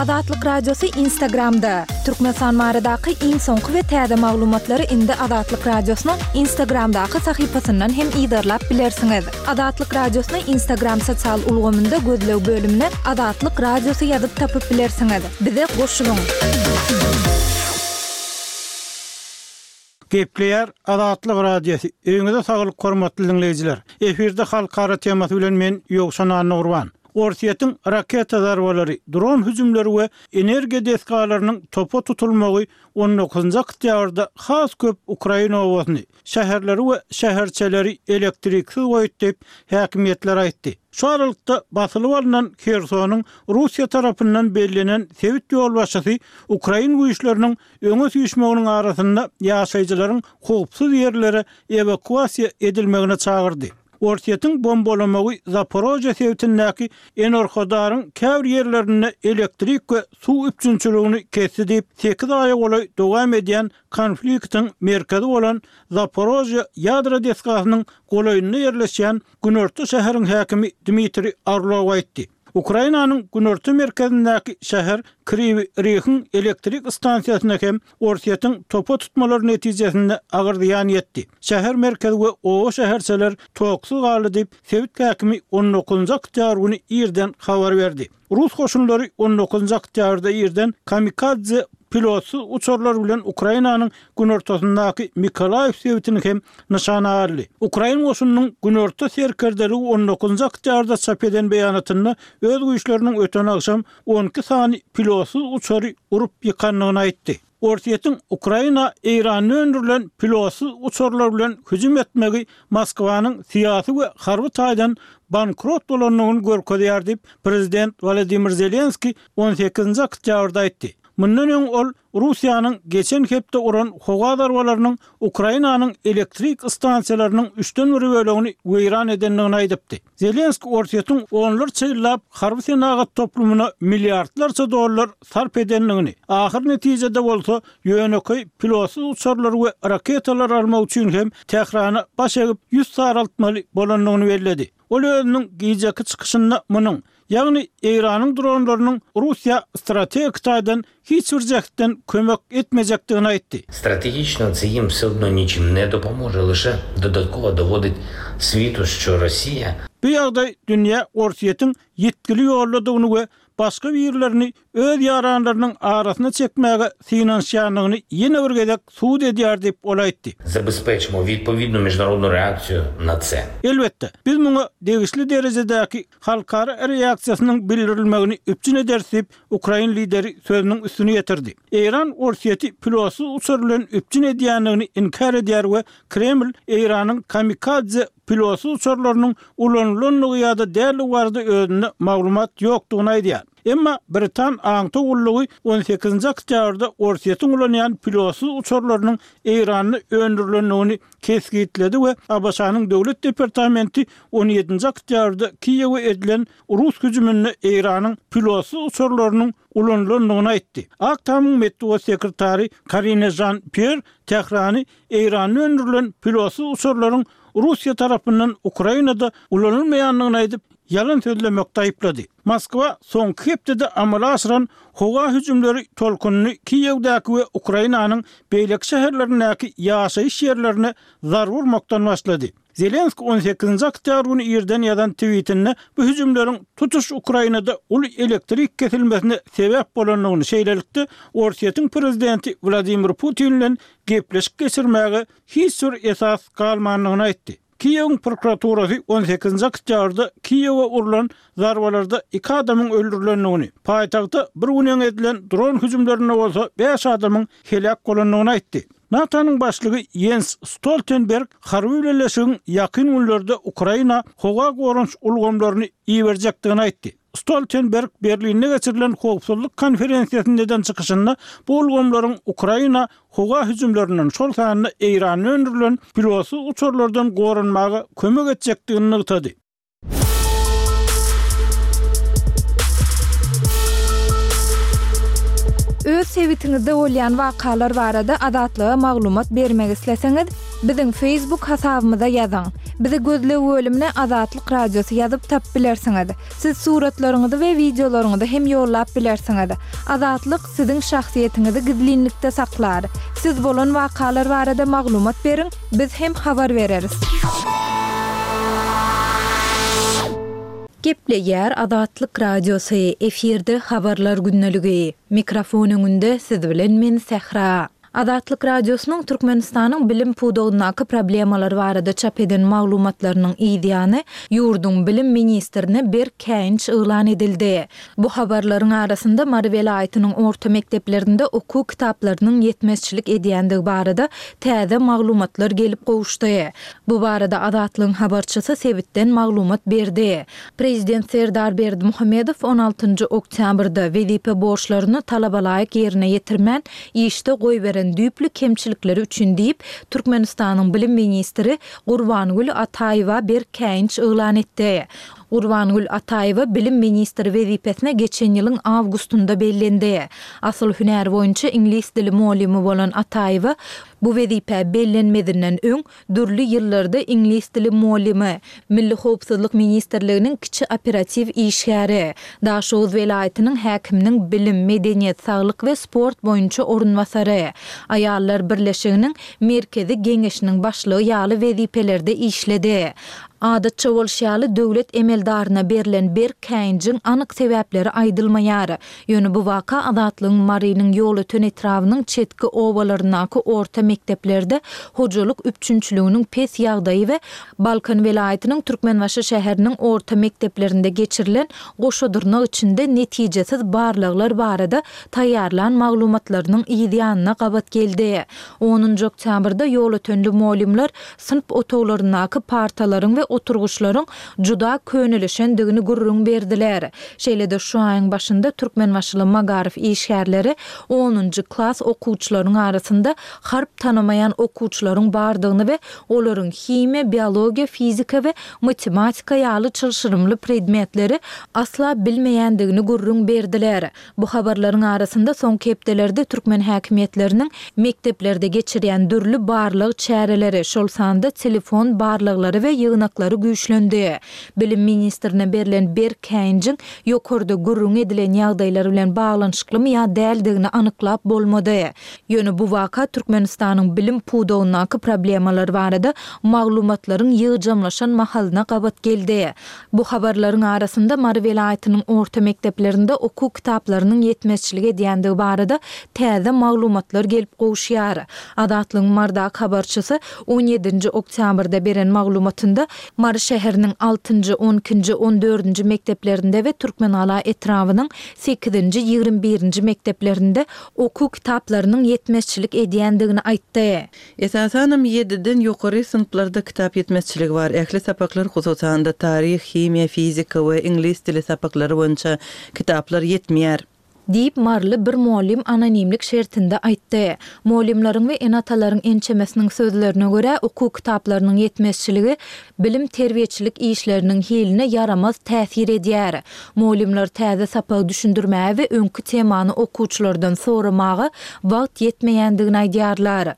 Azatlyk Radiosy Instagramda! Türkmenistan baradaky iň soňky we täze maglumatlary indi Azatlyk Radiosynyň Instagramdaky sahypasyndan hem yzarlap bilersiňiz. Azatlyk Radiosyny Instagram sosial ulgamynda gözleg bölümine Azatlyk Radiosy ýazyp tapyp bilersiňiz. Bize goşulyň! Gepleýär Azatlyk Radiosy, Öýüňize saglyk hormatly diňleýjiler! Efirde halkara temasy bilen men Ýowşan Annagurban. Orsýetiň raketa zarbalary, dron hüjümleri we energiýa desgalarynyň topa tutulmagy on dokuzynjy oktýabrda has köp ukrain obasyny, şäherleri we şäherçeleri elektriksiz goýdy diýip, häkimiýetler aýtdy. Şu aralykda, basylyp alnan Hersonyň Russiýa tarapyndan bellenen sebit ýolbaşçysy ukrain güýçleriniň öňe süýşmeginiň arasynda ýaşaýjylaryň howpsuz ýerlere ewakuasiýa edilmegine çagyrdy. Orsýetiň bombalamagy Zaporožýe sebitindäki Enerhodaryň käbir ýerlerinde elektrik we suw üpjünçiligini kesdi diýip, sekiz aýa golaý dowam edýän konfliktiň merkezi bolan Zaporožýe ýadro desgasynyň golaýynda ýerleşýän günorta şäheriň häkimi Dmitriý Orlow aýtdy. Ukrainanyň günorta merkezindäki şäher Kriwi Rihiň elektrik stansiýasyna hem Orsýetiň topa tutmalary netijesinde agyr zyýan ýetdi. Şäher merkezi we oba-şäherçeler toksuz galdy diýip, sebit häkimi on dokuzynjy oktýabr güni irden habar berdi. Rus goşunlary on dokuzynjy oktýabrda irden kamikadze pilotsyz uçarlar bilen Ukrainanyň günortasyndaky Mykolaýiw sebitini hem nyşana aldy. Ukrain goşunynyň Günorta serkerdeligi on dokuzynjy oktýabrda çap eden beýanatynda öz güýçleriniň öten agşam 12 sany pilotsyz uçary urup ýykandygyny aýtdy. Orsýetiň Ukraina Eýranda öndürilen pilotsyz uçarlar bilen hüjüm etmegi Moskwanyň syýasy we harby taýdan bankrot bolandygyny görkezýär diýip, prezident Wolodymyr Zelenskiý on sekizinji oktýabrda aýtdy. Mundan öň ol Russiýanyň geçen hepde uran howa zarbalarynyň Ukrainanyň elektrik stansiýalarynyň üçden bir bölegini weýran edendigini aýdypdy. Zelenskiý Orsýetiň onlarça ýyllap harby senagat toplumyna milliardlarça dollar sarp edendigini, ahyr netijede bolsa ýönekeý pilotsyz uçarlary we raketalar almak üçin hem Tährana baş egip ýüz saraltmaly bolandygyny belledi. Ol özüniň gijeki çykyşynda munuň Ýagny Eýranyň dronlarynyň Russiýa strategik taýdan hiç bir jähtden kömek etmejekdigini aýtdy. Strategiçno це їм все одно нічим не допоможе, лише додатково доводить світу, що Росія. Bu ýagdaý dünýä Orsýetiň ýitgili ýoldadygyny we başga birlerini öz ýaranlarynyň arasyna çekmäge synanyşýandygyny ýene bir gezek subut edýär diýip, ol aýtdy. Zabezpечимо відповідну міжнародну реакцію на це. Elbetde, biz muňa degişli derejedäki halkara reaksiýasynyň bildirilmegini üpjün ederis diýip, ukrain lideri sözüniň üstüni ýetirdi. Eýran Orsýeti pilotsyz uçar bilen üpjün edýändigini inkär edýär we Kreml Eýranyň kamikadze pilotsyz uçarlarynyň ulanylandygy ýa-da däldigi barada özünde maglumat ýokdugyny aýdýar. Emma britan aňtaw gullugy on sekizinji oktýabrda Orsýetiň ulanýan pilotsyz uçarlarynyň Eýranda öndürilendigini kesgitledi we ABŞ-nyň Döwlet departamenti on ýedinji oktýabrda Kiýewe edilen rus hüjüminde Eýranyň pilotsyz uçarlarynyň ulanylandygyny aýtdy. Ak Tamyň metbugat sekretary Karine Žan-Pýer Tährany Eýranda öndürilen pilotsyz uçarlaryň Russiýa tarapyndan Ukrainada ulanylmaýandygyny aýdyp, ýalan sözlemekde aýyplady. Moskwa soňky hepdede amala aşyran howa hüjümleri tolkunyny Kiýewdäki we Ukrainanyň beýleki şäherlerindäki ýaşaýyş ýerlerine zarba urmakdan başlady. Zelenskiý on sekizinji oktýabr güni irden ýazan twitinde bu hüjümleriň tutuş Ukrainada uly elektrik kesilmesine sebäp bolandygyny, şeýlelikde, Orsýetiň prezidenti Wladimir Putin bilen gepleşik geçirmäge hiç bir esas galmandygyny aýtdy. Kiýewiň prokuraturasy on sekizinji oktýabrda Kiýewe urlan zarbalarda iki adamyň öldürilendigini, paýtagta bir gün öň edilen dron hüjümlerinde bolsa bäş adamyň heläk bolandygyny aýtdy. NATO-nyň başlygy Ýens Stoltenberg harby bileleşigiň ýakyn günlerde Ukraina howa goranyş ulgamlaryny iberjekdigini aýtdy. Stoltenberg Berlinde geçirilen howpsuzlyk konferensiýasynda eden çykyşynda bu ulgamlaryň Ukraina howa hüjümlerinden, şol sanda Eýranda öndürilen pilotsyz uçarlardan goranmaga kömek etjekdigini nygtady. Öz sebitiňizde bolýan wakalar barada Azatlyga maglumat bermek isleseňiz, Biziň Facebook hasabymyza ýazyň. Bizi gözleg bölümine Azatlyk Radiosy ýazyp tapyp bilersiňiz. Siz suratlaryňyzy we wideolaryňyzy hem ýollap bilersiňiz. Azatlyk siziň şahsyýetiňizi gizlinlikde saklar. Siz bolan wakalar barada maglumat beriň, biz hem habar bereris. Gepleýär Azatlyk Radiosy, efirde Habarlar gündeligi. Mikrofon öňünde siz bilen men Sähra. Azatlyk Radiosynyň Türkmenistanyň bilim pudagyndaky problemalar barada çap eden maglumatlarynyň yzýany, ýurduň bilim ministrine berk käýinç yglan edildi. Bu habarlaryň arasynda Mary welaýatynyň orta mekdeplerinde okuw kitaplarynyň ýetmezçilik edýändigi barada täze maglumatlar gelip gowuşdy. Bu barada Azatlygyň habarçysy sebitden maglumat berdi. Prezident Serdar Berdimuhamedow on altynjy oktýabrda wezipe borçlaryny talabalaýyk ýerine ýetirmän, işde goýberen düýpli kemçilikleri üçin diýip, Türkmenistanyň bilim ministri Gurbangül Ataýewa berk käýinç yglan etdi. Gurbangül Ataýewa bilim ministri wezipesine geçen ýylyň awgustynda bellendi. Asyl hünäri boýunça iňlis dili mugallymy bolan Ataýewa bu wezipä bellenmezinden öň Dürli ýyllarda iňlis dili mugallymy, Milli howpsuzlyk ministrliginiň kiçi operatiw işgäri, Daşoguz welaýatynyň häkiminiň bilim, medeniýet, saglyk we sport boýunça orunbasary, Aýallar birleşiginiň Merkezi geňeşiniň başlygy ýaly wezipelerde işledi. Adatça bolşy ýaly, döwlet emeldaryna berlen berk käýinjiň anyk sebäpleri aýdylmaýar. Ýöne bu waka Azatlygyň Marynyň Ýolöten etrabynyň çetki obalaryndaky orta mekdeplerde hojalyk üpjünçiliginiň pes ýagdaýy we Balkan welaýatynyň Türkmenbaşy şäheriniň orta mekdeplerinde geçirilen goşa dyrnak içinde netijesiz barlaglar barada taýýarlan maglumatlarynyň yz ýanyna gabat geldi. Onunjy oktýabrda ýolötenli mugallymlar synp otaglaryndaky partalaryň we oturgyçlaryň juda könelişendigini gürrüň berdiler. Şeýle-de şu aýyň başynda türkmenbaşyly magaryf işgärleri onunjy klas okuwçylaryň arasynda harp tanamaýan okuwçylaryň bardygyny we olaryň himiýa, biologiýa, fizika we matematika ýaly çylşyrymly predmetleri asla bilmeýändigini gürrüň berdiler. Bu habarlaryň arasynda soňky hepdelerde türkmen häkimiýetleriniň mekdeplerde geçirýän dürli barlag çäreleri, şol sanda telefon barlaglary we ýygnaklary güýçlendi. Bilim ministrine berlen berk käýinjiň ýokarda gürrüňi edilen ýagdaýlar bilen baglanyşyklymy ýa däldigini anyklap bolmady. Ýöne bu waka Türkmenistanyň bilim pudagyndaky problemalar barada maglumatlaryň ýygjamlaşan mahalyna gabat geldi. Bu habarlaryň arasynda Mary welaýatynyň orta mekdeplerinde okuw kitaplarynyň ýetmezçilik edýändigi barada täze maglumatlar gelip gowuşýar. Azatlygyň Marydaky habarçysy on ýedinji oktýabrda beren maglumatynda Mary şäheriniň altynjy, on ikinji, on dördünji mekdeplerinde we Türkmengala etrabynyň sekizinji, 21 birinji mekdeplerinde okuw kitaplarynyň ýetmezçilik edýändigini aýtdy. Esasanam ýediden ýokary synplarda kitap ýetmezçiligi bar. Ähli sapaklar, hususan-da, taryh, himiýa, fizika we iňlis dili sapaklary boýunça kitaplar ýetmeýär. Diýip, maryly bir mugallym anonimlik şertinde aýtdy. Mugallymlaryň we ene-atalaryň ençemesiniň sözlerine görä, okuw kitaplarynyň ýetmezçiligi bilim-terbiýeçilik işleriniň hiline ýaramaz täsir edýär. Mugallymlar täze sapagy düşündirmäge we öňki temany okuwçylardan soramaga wagt ýetmeýändigini aýdýarlar.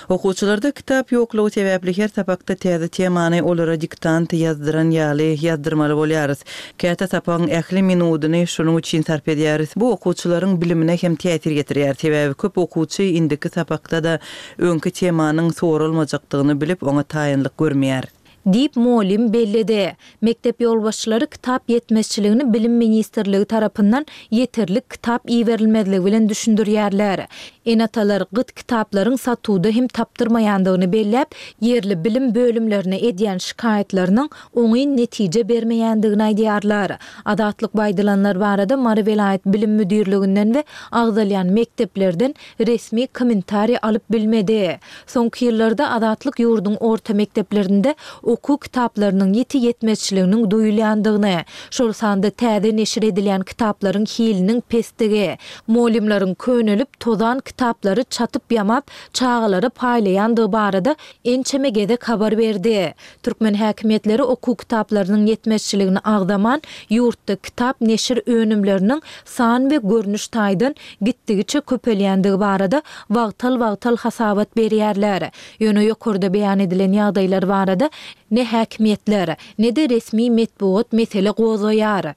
Okuwçylarda kitap ýoklugy sebäpli her sapakda täze temany olara diktant ýazdyran ýaly ýazdyrmaly bolýarys. Käte sapagyň ähli minudyny şunuň üçin sarp edýäris. Bu okuwçylaryň bilimine hem täsir ýetirýär. Sebäbi köp okuwçy indiki sapakda-da öňki temanyň soralmajakdygyny bilip, oňa taýynlyk görmeýär. Diýip, mugallym belledi. Mekdep ýolbaşçylary kitap ýetmezçiligini Bilim ministrligi tarapyndan ýeterlik kitap iberilmezligi bilen düşündirýärler. Ene-atalar gyt kitaplaryň satuwda hem tapdyrmaýandygyny belläp, ýerli bilim bölümlerine edýän şikaýatlarynyň oňyn netije bermeýändigini aýdýarlar. Azatlyk bu aýdylanlar barada Mary welaýat bilim müdirliginden we agzalýan mekdeplerden resmi kommentariý alyp bilmedi. Soňky ýyllarda Azatlyk ýurduň orta mekdeplerinde. okuw kitaplarynyň ýiti ýetmezçiliginiň duýulýandygyny, şol sanda täze neşir edilýän kitaplaryň hiliniň pesdigi, mugallymlaryň könelip, tozan kitaplary çatyp-ýamap, çagalara paýlaýandygy barada ençeme gezek habar berdi. Türkmen häkimiýetleri okuw kitaplarynyň ýetmezçiligini agzaman, ýurtda kitap neşir önümleriniň san we görnüş taýdan gitdigiçe köpelýändigi barada wagtal-wagtal hasabat berýärler. Ýöne ýokarda beýan edilen ýagdaýlar barada ne häkimiýetler, ne-de resmi metbugat mesele gozgaýar.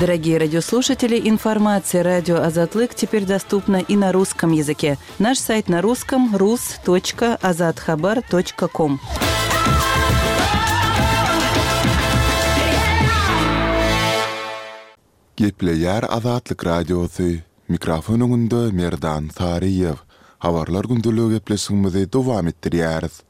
Дорогие радиослушатели, информация радио Азатлык теперь доступна и на русском языке. Наш сайт на русском rus.azathabar.com. Gepleýär Azatlyk Radiosy, Mikrofon öňünde Merdan Saryýew. Habarlar gündeligi gepleşigimizi dowam etdirýäris.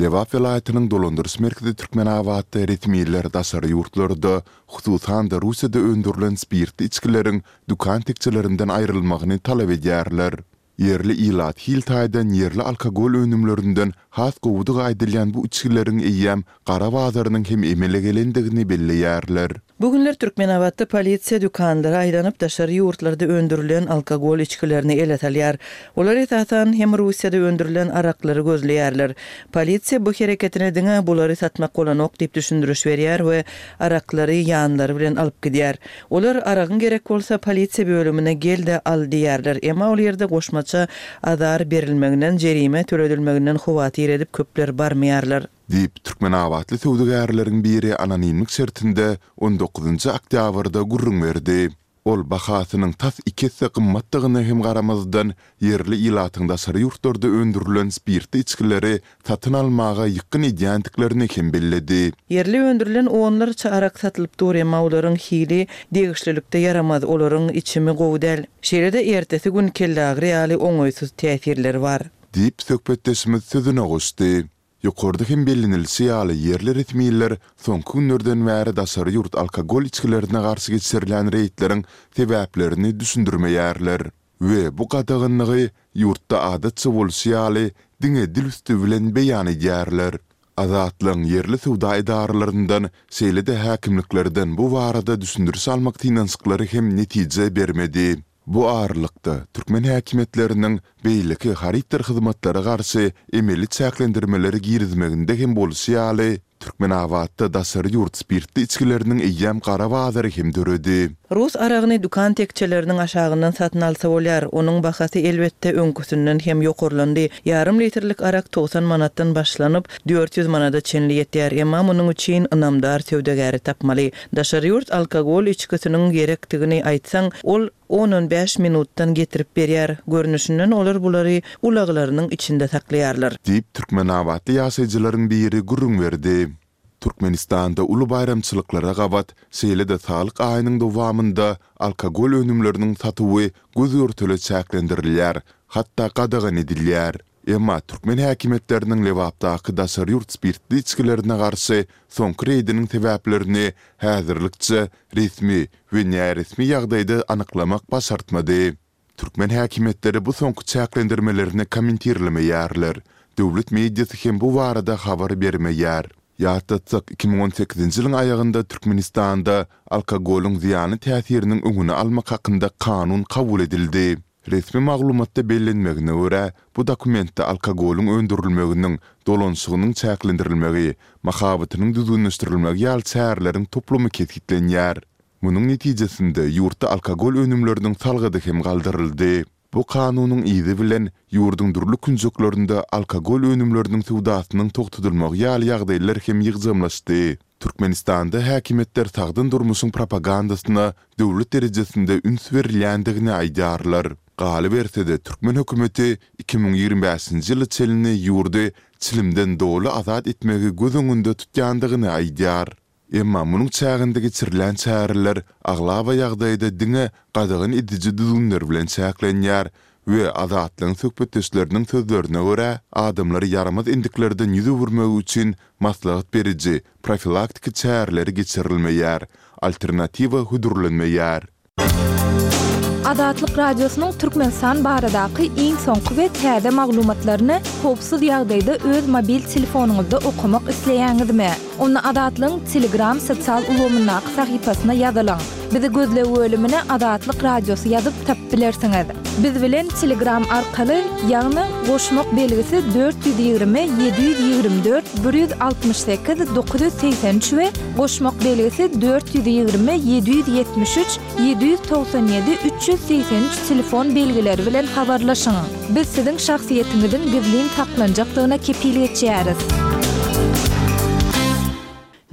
Lebap welaýatynyň dolandyryş merkezi Türkmenabatda resmiler daşary ýurtlarda, hususan-da Russiýada öndürilen spirtli içgileriň dükan tekjelerinden aýrylmagyny talap edýärler. Ýerli ilat hil taýdan ýerli alkogol önümlerinden has gowudygy aýdylýan bu içgileriň eýýäm gara bazarynyň hem emele gelendigini belleýärler. Bu günler Türkmenabatda polisiýa dükanlara aýlanyp, daşary ýurtlarda öndürilen alkogol içgilerini ele salýar. Olar esasan hem Russiýada öndürilen araklary gözleýärler. Polisiýa bu hereketine diňe bulary satmak bolanok diýip düşündiriş berýär we araklary ýanlary bilen alyp gidýär. Olar aragyň gerek bolsa polisiýa bölümine gel-de al diýýärler, emma ol ýerde goşmaça azar berilmeginden, jerime töledilmeginden howatyr edip köpler barmaýarlar. Diýip, türkmenabatly söwdagärleriň biri anonimlik şertinde on dokuzynjy oktýabrda gürrüň berdi. Ol bahasynyň tas iki esse gymmatdygyna hem garamazdan, ýerli ilatyň daşary ýurtlarda öndürilen spirtli içgileri satyn almaga ýykgyn edýändiklerini hem belledi. Ýerli öndürilen onlarça arak satylyp dur, emma olaryň hili degişlilikde ýaramaz, olaryň içimi gowy däl. Şeýle-de ertesi gün kelleagyry ýaly oňaýsyz täsirleri bar. Diýip, söhbetdeşimiz sözüne goşdy. Ýokarda hem bellenilişi ýaly, ýerli resmiler soňky günlerden bäri daşary ýurt alkogol içgilerine garşy geçirilýän reýdleriň sebäplerini düşündirmeýärler we bu gadaganlygy ýurtda adatça bolşy ýaly diňe dil üsti bilen beýan edýärler. Azatlygyň ýerli söwda edaralaryndan, şeýle-de häkimliklerden bu barada düşündiriş almak synanyşyklary hem netije bermedi. Bu aralykda, türkmen häkimiýetleriniň beýleki harytdyr hyzmatlara garşy emeli çäklendirmeleri girizmeginde hem bolşy ýaly, Türkmenabatda daşary ýurt spirtli içgileriniň eýýäm gara bazary hem döredi. Rus aragyny dükan tekjeleriniň aşagyndan satyn alsa bolýar. Onuň bahasy, elbetde, öňküsinden hem ýokarlandy. Ýarym litrlik arak 90 manatdan başlanyp, 400 manada çenli ýetýär. Emma munuň üçin ynamdar söwdagäri tapmaly. Daşary ýurt alkogol içgisiniň gerekdigini aýtsaň, ol on-on bäş minutdan getirip berýär. Görnüşinden olar bulary ulaglarynyň içinde saklaýarlar. Diýip, türkmenabatly ýaşaýjylaryň biri gürrüň berdi. Türkmenistanda uly baýramçylyklara gabat, şeýle-de Saglyk aýynyň dowamynda alkogol önümleriniň satuwy göz-görtele çäklendirilýär, hatda gadagan edilýär. Emma türkmen häkimiýetleriniň Lebapdaky daşary ýurt spirtli içgilerine garşy soňky reýdiniň sebäplerini häzirlikçe resmi we näresmi ýagdaýda anyklamak başartmady. Türkmen häkimiýetleri bu soňky çäklendirmelerini kommentirlemeýärler. Döwlet mediasy hem bu barada habar bermeýär. Ýatlatsak, 2018-nji ýylyň aýagynda Türkmenistanda alkogolyň zyýanly täsiriniň öňüni almak hakynda kanun kabul edildi. Resmi maglumatda bellenmegine görä, bu dokumentde alkogolyň öndürilmeginiň, dolanyşygynyň çäklendirilmegi, mahabatynyň düzgünleşdirilmegi ýaly çäreleriň toplumy kesgitlenýär. Munuň netijesinde, ýurtda alkogol önümleriniň salgydy hem galdyryldy. Bu kanunyň yzy bilen, ýurduň dürli künjeklerinde alkogol önümleriniň söwdasynyň togtadylmagy ýaly ýagdaýlar hem ýygjamlaşdy. Türkmenistanda häkimiýetler sagdyn durmuşyň propagandasyna döwlet derejesinde üns berilýändigini aýdýarlar. Galyberse-de, türkmen hökümeti 2025-nji ýyla çenli ýurdy çilimden doly azat etmegi göz öňünde tutýandygyny aýdýar. Emma munuň çäginde geçirilýän çäreler aglaba ýagdaýda diňe gadagan ediji düzgünler bilen çäklenýär we Azatlygyň söhbetdeşleriniň sözlerine görä, adamlary ýaramaz endiklerden ýüz öwürmegi üçin maslahat beriji, profilaktiki çäreleri geçirilmeýär, alternatiwa hödürlenmeýär. Azatlyk Radiosynyň Türkmenistan baradaky iň soňky we täze maglumatlaryny howpsuz ýagdaýda öz mobil telefonyňyzda okamak isleýäňizmi? Onda Azatlygyň Telegram sosial ulgamyndaky sahypasyna ýazylyň. Bizi gözleg bölümine Azatlyk Radiosy ýazyp tapyp bilersiňiz. Biz bilen Telegram arkaly, ýagny goşmak belgisi 420 724 168 983 we goşmak belgisi 420 773 797 383 telefon belgileri bilen habarlaşyň. Biz siziň şahsyýetiňiziň gizlin saklanjakdygyna kepil geçýäris.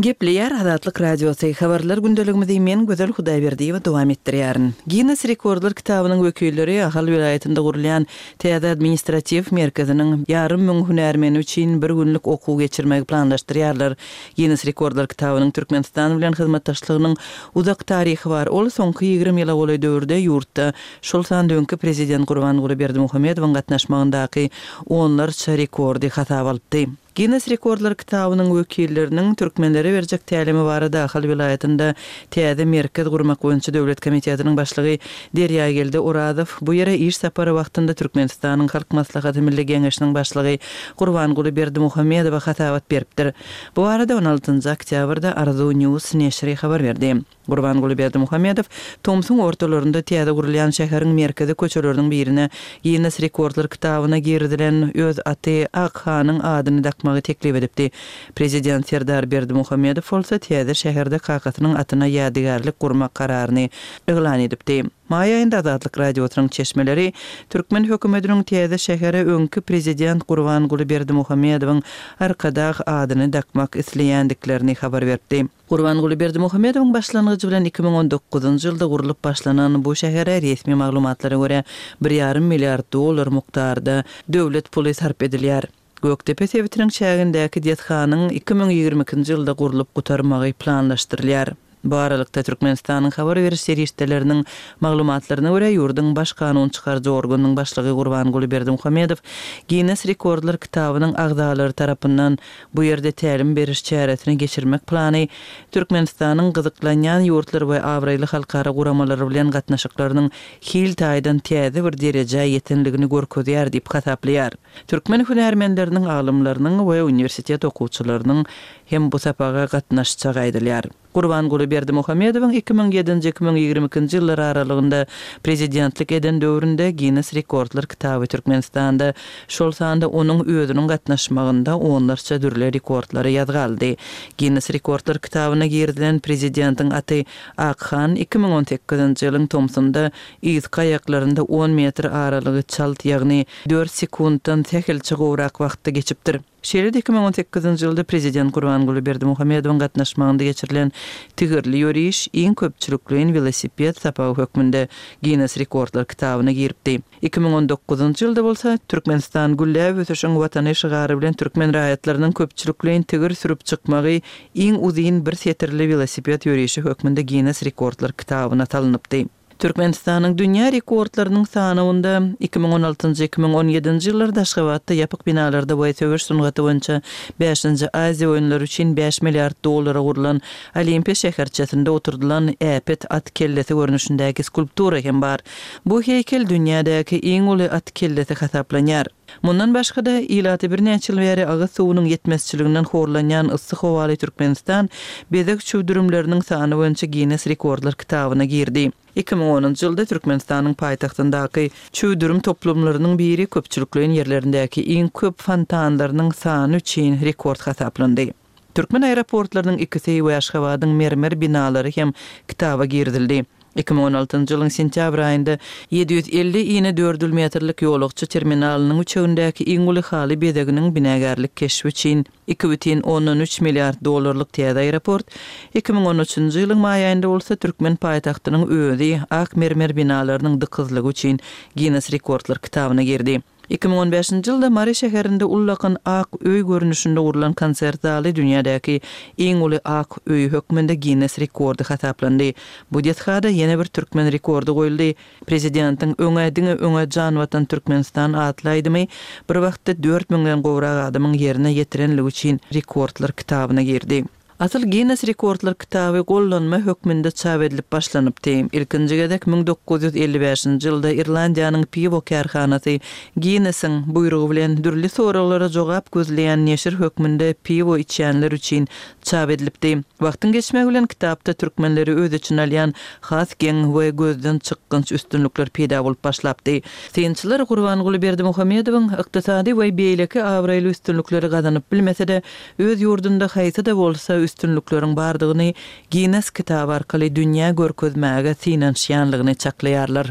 Gepleýär Azatlyk Radiosy, Habarlar gündeligimizi men Gözel Hudaýberdiýewa dowam etdirýärin. Ginnes rekordlar kitabynyň wekilleri Ahal welaýatynda gurulýan täze administratiw merkeziniň ýarym müň hünärmeni üçin bir günlük okuw geçirmegi planlaşdyrýarlar. Ginnes rekordlar kitabynyň Türkmenistan bilen hyzmatdaşlygynyň uzak taryhy bar. Ol soňky 20 ýyla golaý döwürde ýurtda, şol sanda öňki prezident Gurbanguly Berdimuhamedowyň gatnaşmagyndaky onlarça rekordy hasaba alypdy. Ginnes rekordlar kitabynyň wekilleriniň türkmenlere berjek tälimi barada Ahal welaýatynda täze merkez gurmak boýunça döwlet komitetiniň başlygy Derýageldi Orazow bu ýere iş sapary wagtynda Türkmenistanyň Halk Maslahaty Milli Geňeşiniň başlygy Gurbanguly Berdimuhamedowa hasabat beripdir. Bu barada on altynjy oktýabrda Arzuw News neşiri habar berdi. Gurbanguly Berdimuhamedow tomsuň ortalarynda täze gurulýan şäheriň merkezi köçeleriniň birine Ginnes rekordlar kitabyna girizilen öz aty Akhanyň adyny dakmagy teklip edipdi. Prezident Serdar Berdimuhamedow bolsa täze şäherde kakasynyň atyna ýadygärlik gurmak kararyny yglan edipdi. Maý aýynda Azatlyk Radiosynyň çeşmeleri türkmen hökümetiniň täze şähere öňki prezident Gurbanguly Berdimuhamedowyň Arkadag adyny dakmak isleýändiklerini habar beripdi. Gurbanguly Berdimuhamedowyň başlangyjy bilen 2019-njy ýylda gurlup başlanan bu şähere resmi maglumatlara görä bir ýarym milliard dollar mukdarda döwlet puly sarp edilýär. Gökdepe sebitiniň çägindäki desganyň 2022-nji ýylda gurlup gutarmagy planlaşdyrylýar. Bu aralykda, Türkmenistanyň habar beriş serişdeleriniň maglumatlaryna görä, ýurduň baş kanun çykaryjy organynyň başlygy Gurbanguly Berdimuhamedow Ginnes rekordlar kitabynyň agzalary tarapyndan bu ýerde tälim beriş çäresini geçirmek plany Türkmenistanyň gyzyklanýan ýurtlar we abraýly halkara guramalary bilen gatnaşyklarynyň hil taýdan täze bir derejä ýetenligini görkezýär diýip hasaplaýar. Türkmen hünärmenleriniň, alymlarynyň we uniwersitet okuwçylarynyň hem bu sapaga gatnaşjagy aýdylýar. Gurbanguly Berdimuhamedowyň 2007-nji, 2022-nji ýyllar aralygynda prezidentlik eden döwründe Ginnes rekordlar kitaby Türkmenistanda, şol sanda onuň özüniň gatnaşmagynda onlarça dürli rekordlary ýazga aldy. Ginnes rekordlar kitabyna girizilen prezidentiň aty Akhan 2018-nji ýylyň tomsunda Yzky aýaklarynda on metr aralygy çalt, ýagny dört sekuntdan sähelçe gowrak wagtda geçipdir. Şeýle-de 2018-nji ýylda prezident Gurbanguly Berdimuhamedowyň gatnaşmagynda geçirilen tigirli ýöriş iň köpçülikleýin welosiped sapagy hökmünde Ginnes rekordlar kitabyna giripdi. 2019-njy ýylda bolsa Türkmenistan gülläp ösüşiň Watany şygary bilen türkmen raýatlarynyň köpçülikleýin tigir sürüp çykmagy iň uzyn bir setirli welosiped ýörişi hökmünde Ginnes rekordlar kitabyna salynypdy. Türkmenistanyň dünýä rekordlarynyň sanawynda 2016-njy, 2017-nji ýyllarda Aşgabatda ýapyk binalarda we söweş sungaty boýunça bäşinji Aziýa oýunlary üçin bäş milliard dollara gurlan Olimpiýa şäherçesinde oturdylan äpet at kellesi görnüşindäki skulptura hem bar. Bu heýkel dünýädäki iň uly at kellesi hasaplanýar. Mundan başga-da, ilaty birnäçe ýyl bäri agyz suwunyň ýetmezçiliginden horlanýan yssy howaly Türkmenistan bezeg çüwdürimleriniň sany boýunça Ginnes rekordlar kitabyna girdi. 2010-njy ýylda Türkmenistanyň paýtagtyndaky çüwdürim toplumlarynyň biri köpçülikleýin ýerlerindäki iň köp fontanlarynyň sany üçin rekord hasaplandy. Türkmen aeroportlarynyň ikisi we Aşgabadyň mermer binalary hem kitaba girizildi. 2016-njy ýylyň sentýabr aýynda 750 inedördül metrlik ýolagçy terminalynyň üçegindäki iň uly haly bezeginiň binagärlik keşbi üçin 2,3 milliard dollarlyk täze aeroport, 2013-nji ýylyň maý aýynda bolsa türkmen paýtagtynyň özi ak mermer binalarynyň dykyzlygy üçin Ginnes rekordlar kitabyna girdi. 2015-nji ýylda Mary şäherinde ullakan ak öý görnüşinde gurlan konsert zaly dünýädäki iň uly ak öý hökmünde Ginnes rekordy hasaplandy. Bu desgada ýene bir türkmen rekordy goýuldy. Prezidentiň Öňe, diňe öňe jan Watan Türkmenistan atly aýdymy bir wagtda dört müňden gowrak adamyň ýerine ýetirenligi üçin rekordlar kitabyna girdi. Asyl Ginnes rekordlar kitaby gollanma hökmünde çap edilip başlanypdy. Ilkinji gezek 1955-nji ýylda Irlandiýanyň piwo kärhanasy Ginnesiň buýrugy bilen dürli soraglara jogap gözleýän neşir hökmünde piwo içýänler üçin çap edilipdi. Wagtyň geçmegi bilen kitapda türkmenleri öz içine alýan has geň we gözden çykgynç üstünlikler peýda bolup başlapdy. Synçylar Gurbanguly Berdimuhamedowyň ykdysady we beýleki abraýly üstünlikleri gazanyp bilmese-de, öz ýurdunda haýsy-da bolsa üstünlikleriň bardygyny Ginnes kitaby arkaly dünýä görkezmäge synanyşýanlygyny çaklaýarlar.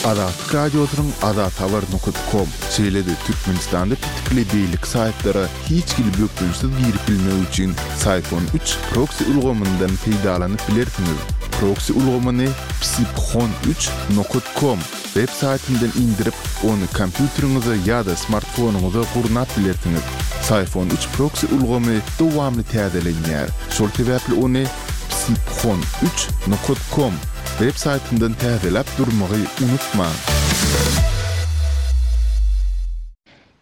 Azatlyk Radiosynyň azathabar nokat kom, şeýle-de Türkmenistanda petikli beýleki saýtlara hiç hili bökdençsiz girip bilmek üçin Syphon üç proksi ulgamyndan peýdalanyp bilersiňiz. Proksi ulgamyny psiphon üç nokat kom web saýtyndan indirip, ony kompýuteriňize ýa-da smartfonyňyza gurnap bilersiňiz. Syphon üç proksi ulgamy dowamly täzelenýär, şol sebäpli ony psiphon üç nokat kom web saýtyndan täzeläp durmagy unutmaň.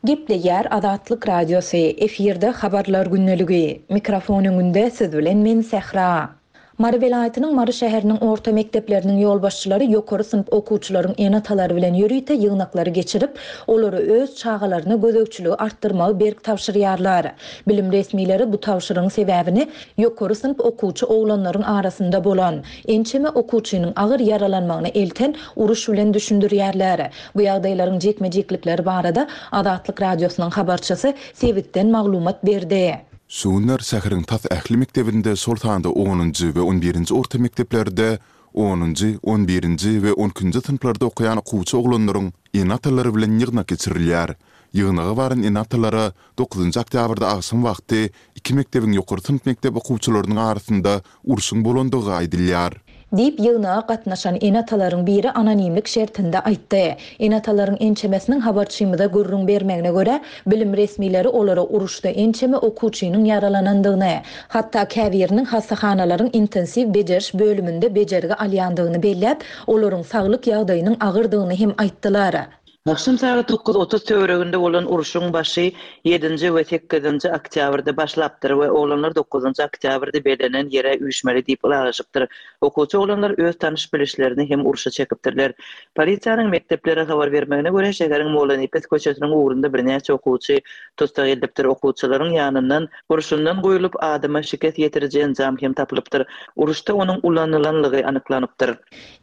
Gepleýär Azatlyk Radiosy, efirde Habarlar gündeligi. Mikrofon öňünde siz bilen men Sähra. Mary welaýatynyň Mary şäheriniň orta mekdepleriniň ýolbaşçylary ýokary synp okuwçylaryň ene-atalary bilen ýörite ýygnaklary geçirip, olara öz çagalaryna gözegçiligi artdyrmagy berk tabşyrýarlar. Bilim resmileri bu tabşyrygyň sebäbini ýokary synp okuwçy oglanlaryň arasynda bolan, ençeme okuwçynyň agyr ýaralanmagyna elten uruş bilen düşündirýärler. Bu ýagdaýlaryň jikme-jiklikleri barada Azatlyk Radiosynyň habarçysy sebitden maglumat berdi. Şu günler şäheriň tas ähli mekdebinde, şol sanda onunjy we on birinji orta mekdeplerde onunjy, on birinji we on ikinji synplarda okaýan okuwçy oglanlaryň ene-atalary bilen ýygnak geçirilýär. Ýygnaga baran ene-atalara dokuzynjy oktýabrda agşam wagty iki mekdebiň ýokary synp mekdep okuwçylarynyň arasynda urşuň bolandygy aýdylýar. Diýip, ýygnaga gatnaşan ene-atalaryň biri anonimlik şertinde aýtdy. Ene-atalaryň ençemesiniň habarçymyza gürrüň bermegine görä, bilim resmileri olara uruşda ençeme okuwçynyň ýaralanandygyny, hatda käbiriniň hassahanalaryň intensiw bejeriş bölüminde bejergi alýandygyny belläp, olaryň saglyk ýagdaýynyň agyrdygyny hem aýtdylar. Agşam sagat 9:30 töwereginde bolan urşuň başy ýedinji we sekizinji oktýabrda başlapdyr we oglanlar dokuzynjy oktýabrda bellenen ýere üýşmeli diýip ylalaşypdyr. Okuwçy oglanlar öz tanyş-bilişlerini hem urşa çekipdirler. Polisiýanyň mekdeplere habar bermegine görä, şäheriň Mollanepes köçesiniň ugrunda birnäçe okuwçy tussag edilipdir. Okuwçylaryň ýanyndan gurşundan guýlup, adama şikes ýetiriji enjam hem tapylypdyr. Uruşda onuň ulanylanlygy anyklanypdyr.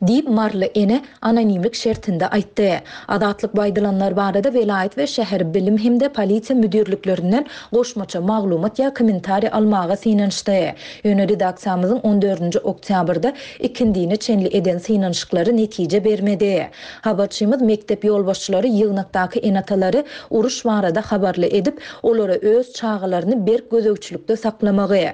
Diýip, maryly ene anonimlik şertinde aýtdy. Azatlyk bu aýdylanlar barada welaýat we şäher bilim hem-de polisiýa müdirliklerinden goşmaça maglumat ýa kommentariý almaga synanyşdy. Ýöne redaksiýamyzyň on dördünji oktýabrda ikindine çenli eden synanyşyklary netije bermedi. Habarçymyz mekdep ýolbaşçylary ýygnakdaky ene-atalary uruş barada habarly edip, olara öz çagalaryny berk gözegçilikde saklamagy,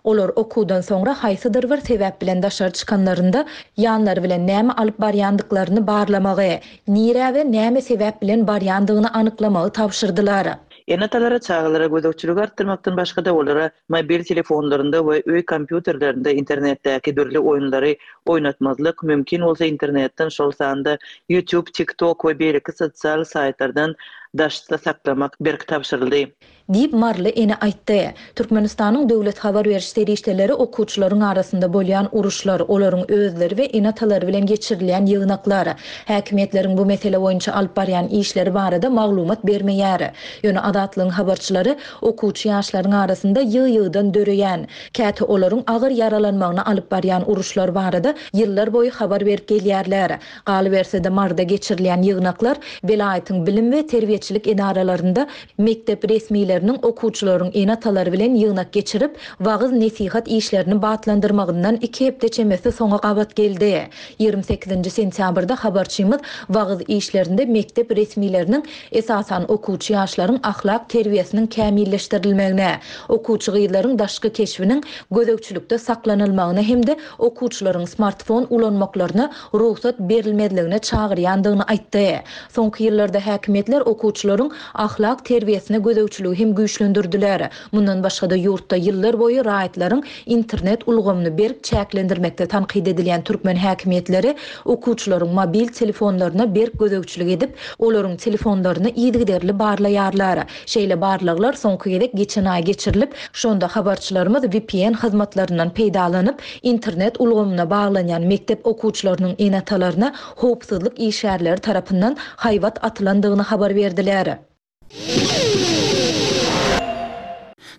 Olar okuwdan soňra haýsydyr bir sebäp bilen daşary çykanlarynda, ýanlary bilen näme alyp barýandyklaryny barlamagy, nirä we näme sebäp bilen barýandygyny anyklamagy tabşyrdylar. Ene-atalara çagalara gözegçiligi artdyrmakdan başga-da, olara mobil telefonlarynda we öý kompýuterlerinde internetdäki dürli oýunlary oýnatmazlyk, mümkin bolsa internetden, şol sanda YouTube, TikTok we beýleki sosial saýtlardan daşda saklamak berk tabşyryldy. Diýip, maryly ene aýtdy. Türkmenistanyň döwlet habar beriş serişdeleri okuwçylaryň arasynda bolýan uruşlar, olaryň özleri we ene-atalary bilen geçirilýän ýygnaklar, häkimiýetleriň bu mesele boýunça alyp barýan işleri barada maglumat bermeýär. Ýöne Azatlygyň habarçylary okuwçy ýaşlaryň arasynda ýygy-ýygydan döreýän, käte olaryň agyr ýaralanmagyna alyp barýan uruşlar barada ýyllar boýy habar berip gelýärler. Galyberse-de, Maryda geçirilýän ýygnaklar welaýatyň bilim we terbiýeçilik edaralarynda Mekdep resmileriniň okuwçylaryň ene-atalary bilen ýygnak geçirip, wagyz-nesihat işlerini batlandyrmagyndan iki hepde çemesi soňa gabat geldi. 28-nji sentýabrda habarçymyz wagyz işlerinde mekdep resmileriniň esasan okuwçy ýaşlaryň ahlak terbiýesiniň kämilleşdirilmegine, okuwçy gyzlaryň daşky keşbiniň gözegçilikde saklanylmagyna hem-de okuwçylaryň smartfon ulanmaklaryna rugsat berilmezligine çagyrýandygyny aýtdy. Soňky ýyllarda häkimiýetler okuwçy. okuwçylaryň ahlak terbiýesine gözegçiligi hem güýçlendirdiler. Mundan başga-da, ýurtda ýyllar boýy raýatlaryň internet ulgamyny berk çäklendirmekde tankyt edilýän türkmen häkimiýetleri okuwçylaryň mobil telefonlaryna berk gözegçilik edip, olaryň telefonlaryny yzygiderli barlaýarlar. Şeýle barlaglar soňky gezek geçen aý geçirilip, şonda habarçylarymyz vpn hyzmatlaryndan peýdalanyp, internet ulgamyna baglanýan mekdep okuwçylarynyň ene-atalaryna howpsuzlyk işgärleri tarapyndan haýbat atylandygyny habar berdiler.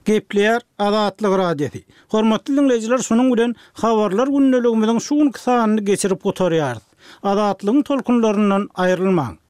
Gepleýär Azatlyk Radiosy. Hormatly diňleýjiler şunuň bilen Habarlar gündeligimiziň şu günki sanyny geçirip gutarýarys. Azatlygyň tolkunlaryndan aýrylmaň!